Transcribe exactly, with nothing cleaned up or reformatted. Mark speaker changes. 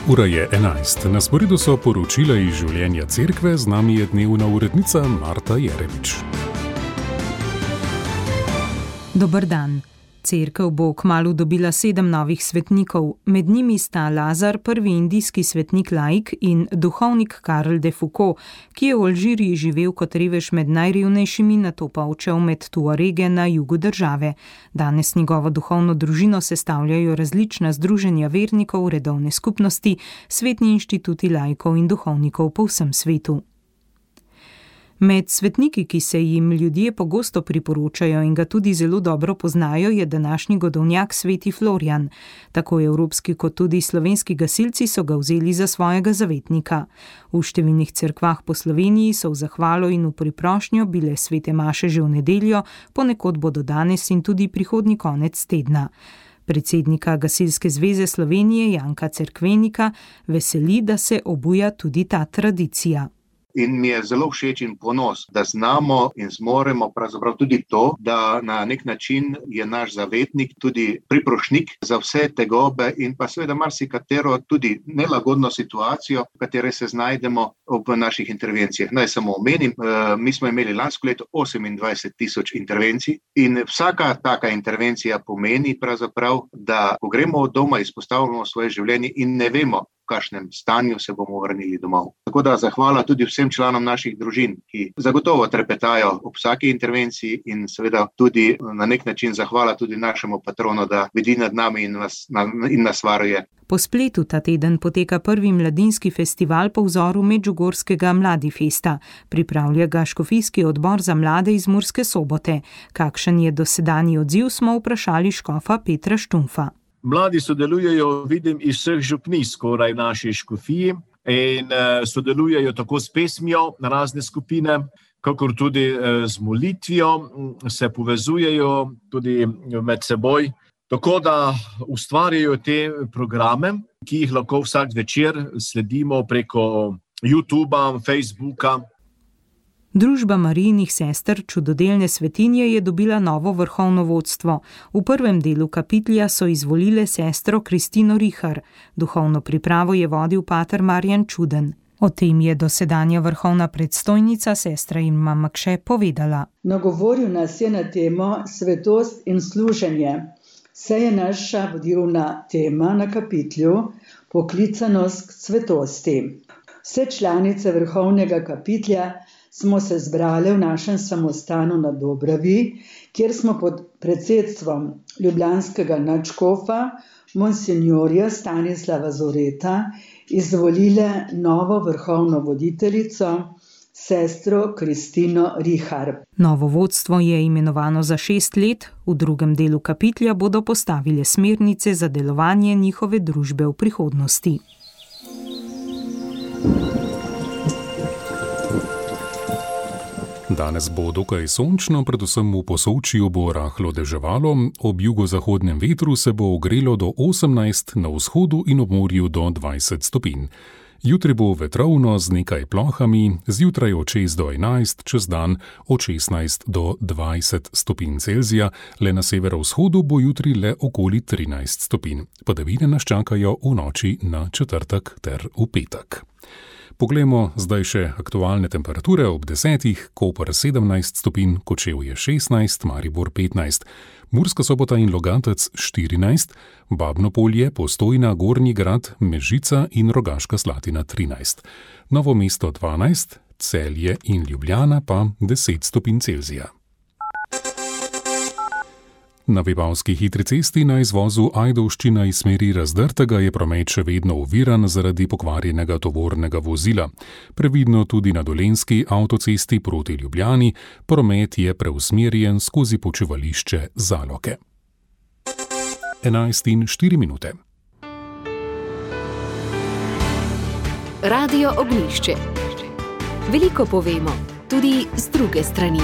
Speaker 1: Ura je enajst. Na sporedu so poročila iz življenja cerkve, z nami je dnevna urednica Marta Jerevič.
Speaker 2: Dober dan. Cerkev bo kmalu dobila sedem novih svetnikov. Med njimi sta Lazar, prvi indijski svetnik laik, in duhovnik Karl de Foucault, ki je v Alžiriji živel kot revež med najrevnejšimi, nato pa odšel med Tuarege na jugu države. Danes njegovo duhovno družino sestavljajo različna združenja vernikov, redovne skupnosti, svetni inštituti laikov in duhovnikov po vsem svetu. Med svetniki, ki se jim ljudje pogosto priporočajo in ga tudi zelo dobro poznajo, je današnji godovnjak sveti Florjan. Tako evropski kot tudi slovenski gasilci so ga vzeli za svojega zavetnika. V številnih cerkvah po Sloveniji so v zahvalo in v priprošnjo bile svete maše že v nedeljo, ponekod bodo danes in tudi prihodnji konec tedna. Predsednika Gasilske zveze Slovenije Janka Cerkvenika veseli, da se obuja tudi ta tradicija.
Speaker 3: In mi je zelo všeč in ponos, da znamo in zmoremo pravzaprav tudi to, da na nek način je naš zavetnik tudi priprošnik za vse tegobe in pa seveda marsikatero tudi nelagodno situacijo, v kateri se znajdemo ob naših intervencijah. Naj samo omenim, mi smo imeli lansko leto osemindvajset tisoč intervencij in vsaka taka intervencija pomeni pravzaprav, da ko gremo od doma, izpostavljamo svoje življenje in ne vemo, v kakšnem stanju se bomo vrnili domov. Tako da zahvala tudi vsem članom naših družin, ki zagotovo trepetajo ob vsaki intervenciji in seveda tudi na nek način zahvala tudi našemu patronu, da bdi nad nami in nas, in nas varuje.
Speaker 2: Po spletu ta teden poteka prvi mladinski festival po vzoru medžugorskega Mladifesta. Pripravlja ga škofijski odbor za mlade iz Murske Sobote. Kakšen je dosedanji odziv, smo vprašali škofa Petra Štumfa.
Speaker 4: Mladi sodelujejo, vidim, iz vseh župnij skoraj v naši škofiji in uh, sodelujejo tako s pesmijo na razne skupine, kakor tudi uh, z molitvijo, se povezujejo tudi med seboj. Tako da ustvarjajo te programe, ki jih lahko vsak večer sledimo preko YouTubea, Facebooka.
Speaker 2: Družba Marijinih sester Čudodelne svetinje je dobila novo vrhovno vodstvo. V prvem delu kapitlja so izvolile sestro Kristino Rihar. Duhovno pripravo je vodil pater Marjan Čuden. O tem je dosedanja vrhovna predstojnica sestra Irma Makše povedala.
Speaker 5: Nagovoril nas je na temo svetost in služenje. Saj je naša vodilna tema na kapitlju poklicanost k svetosti. Vse članice vrhovnega kapitlja smo se zbrali v našem samostanu na Dobravi, kjer smo pod predsedstvom ljubljanskega nadškofa, monsinjorja Stanislava Zoreta, izvolile novo vrhovno voditeljico, sestro Kristino Rihar.
Speaker 2: Novo vodstvo je imenovano za šest let, v drugem delu kapitlja bodo postavile smernice za delovanje njihove družbe v prihodnosti.
Speaker 1: Danes bo dokaj sončno, predvsem v Posočju bo rahlo deževalo, ob jugozahodnem vetru se bo ogrelo do osemnajst, na vzhodu in ob morju do dvajset stopinj. Jutri bo vetrovno z nekaj plohami, zjutraj od šest do enajst, čez dan od šestnajst do dvajset stopinj Celzija, le na severovzhodu bo jutri le okoli trinajst stopinj. Padavine nas čakajo v noči na četrtek ter v petek. Poglejmo zdaj še aktualne temperature ob desetih, Koper sedemnajst stopinj, Kočevje šestnajst, Maribor petnajst, Murska Sobota in Logatec štirinajst, Babno Polje, Postojna, Gornji Grad, Mežica in Rogaška Slatina trinajst, Novo mesto dvanajst, Celje in Ljubljana pa deset stopinj Celzija. Na Vipavski hitri cesti na izvozu Ajdovščina iz smeri Razdrtega je promet še vedno oviran zaradi pokvarjenega tovornega vozila. Previdno tudi na Dolenjski avtocesti proti Ljubljani, promet je preusmerjen skozi počivališče Zaloke. enajst in štiri minute.
Speaker 6: Radio Ognjišče. Veliko povemo, tudi z druge strani.